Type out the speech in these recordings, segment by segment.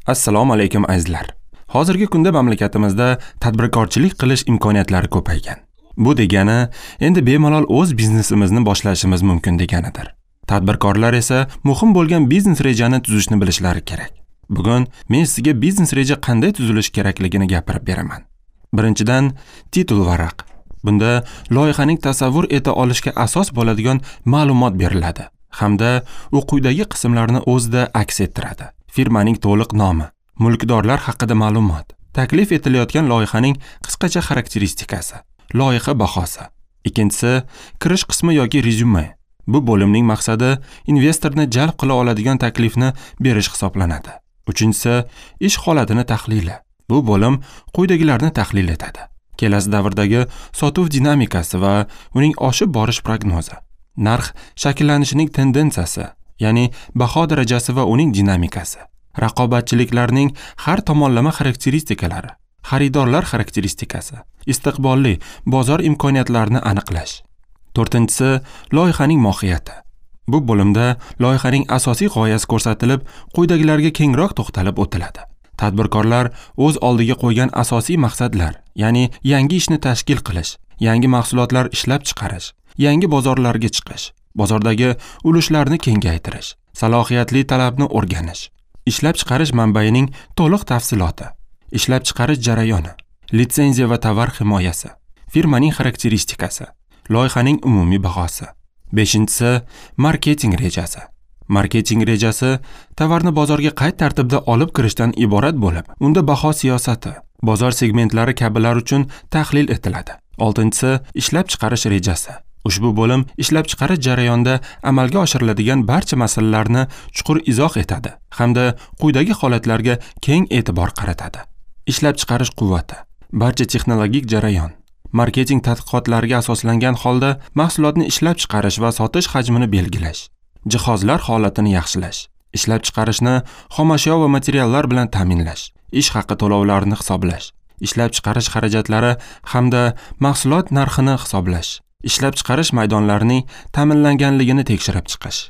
Assalomu alaykum azizlar. Hozirgi kunda mamlakatimizda tadbirkorchilik qilish imkoniyatlari ko'paygan. Bu degani endi bemalol o'z biznesimizni boshlashimiz mumkin deganidir. Tadbirkorlar esa muhim bo'lgan biznes rejani tuzishni bilishlari kerak. Bugun men sizga biznes reja qanday tuzilishi kerakligini gapirib beraman. Birinchidan, titul varaq. Bunda loyihaning tasavvur eta olishga asos bo'ladigan ma'lumot beriladi hamda u quyidagi qismlarni o'zida aks ettiradi. Firmaning to'liq nomi, mulkdorlar haqida ma'lumot, taklif etilayotgan loyihaning qisqacha xarakteristikasi, loyiha bahosi. Ikkinchisi, kirish qismi yoki rezyume. Bu bo'limning maqsadi investorni jalb qila oladigan taklifni berish hisoblanadi. Uchinchisi, ish holatini tahlili. Bu bo'lim quyidagilarni tahlil etadi. Kelasi davrdagi sotuv dinamikasi va uning oshib borish prognozi, narx shakllanishining tendensiyasi, ya'ni baho darajasi va uning dinamikasi, raqobatchiliklarning har tomonlama xarakteristikalari, xaridorlar xarakteristikasi, istiqbolli bozor imkoniyatlarini aniqlash. To'rtinchisi, loyihaning mohiyati. Bu bo'limda loyihaning asosiy g'oyasi ko'rsatilib, quyidagilarga kengroq to'xtalib o'tiladi. Tadbirkorlar o'z oldiga qo'ygan asosiy maqsadlar, ya'ni yangi ishni tashkil qilish, yangi mahsulotlar ishlab chiqarish, yangi bozorlarga chiqish, bozordagi ulushlarni kengaytirish, salohiyatli talabni o'rganish, ishlab chiqarish manbaining to'liq tafsiloti, ishlab chiqarish jarayoni, litsenziya va tovar himoyasi, firmaning xarakteristikasi, loyihaning umumiy bahosi. Beshinchisi, marketing rejasi. Marketing rejasi tovarni bozorga qay tartibda olib kirishdan iborat bo'lib, unda baho siyosati, bozor segmentlari kabilar uchun tahlil etiladi. Oltinchisi, ishlab chiqarish rejasi. Ushbu bo'lim ishlab chiqarish jarayonida amalga oshiriladigan barcha masalalarni chuqur izoh etadi hamda quyidagi holatlarga keng e'tibor qaratadi. Ishlab chiqarish quvvati, barcha texnologik jarayon, marketing tadqiqotlariga asoslangan holda mahsulotni ishlab chiqarish va sotish hajmini belgilash, jihozlar holatini yaxshilash, ishlab chiqarishni xomashyo va materiallar bilan ta'minlash, ish haqi to'lovlarini hisoblash, ishlab chiqarish xarajatlari hamda mahsulot narxini hisoblash, ishlab chiqarish maydonlarining ta'minlanganligini tekshirib chiqish.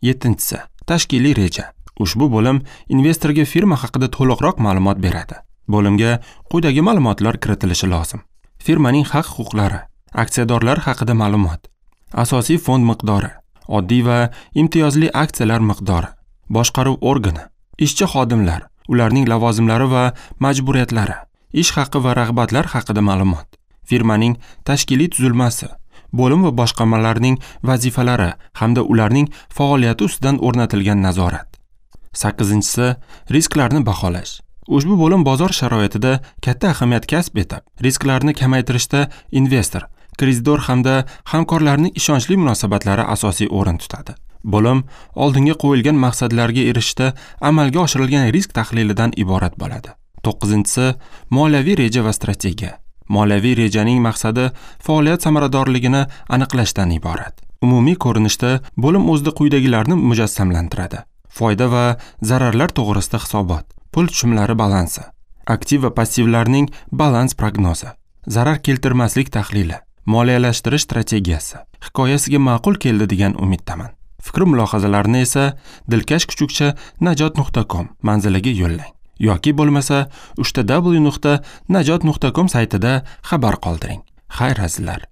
Yettinchisi, tashkiliy reja. Ushbu bo'lim investorga firma haqida to'liqroq ma'lumot beradi. Bo'limga quyidagi ma'lumotlar kiritilishi lozim. Firmaning haq-huquqlari, aksiyadorlar haqida ma'lumot, asosiy fond miqdori, oddiy va imtiyozli aksiyalar miqdori, boshqaruv organi, ishchi xodimlar, ularning lavozimlari va majburiyatlari, ish haqi va rag'batlar haqida ma'lumot, firmaning tashkiliy tuzilmasi, bo'lim va boshqarmalarning vazifalari hamda ularning faoliyati ustidan o'rnatilgan nazorat. Sakkizinchisi, risklarni baholash. Ushbu bo'lim bozor sharoitida katta ahamiyat kasb etib, risklarni kamaytirishda investor, kreditor hamda hamkorlarning ishonchli munosabatlari asosiy o'rin tutadi. Bo'lim oldinga qo'yilgan maqsadlarga erishishda amalga oshirilgan risk tahlilidan iborat bo'ladi. To'qqizinchisi, moliyaviy reja va strategiya. Moliyaviy rejaning maqsadi faoliyat samaradorligini aniqlashdan iborat. Umumiy ko'rinishda bo'lim o'zida quyidagilarni mujassamlantiradi. Foyda va zararlar to'g'risida hisobot, pul tushumlari balansi, aktiv va passivlarning balans prognozi, zarar keltirmaslik tahlili, moliyalashtirish strategiyasi. Hikoyasiga ma'qul keldi degan umiddaman. Fikr mulohazalarni esa dilkashkuchukcha@najot.com manziliga yo'llang yoki bo'lmasa www.najot.com saytida xabar qoldiring. Xayr azizlar.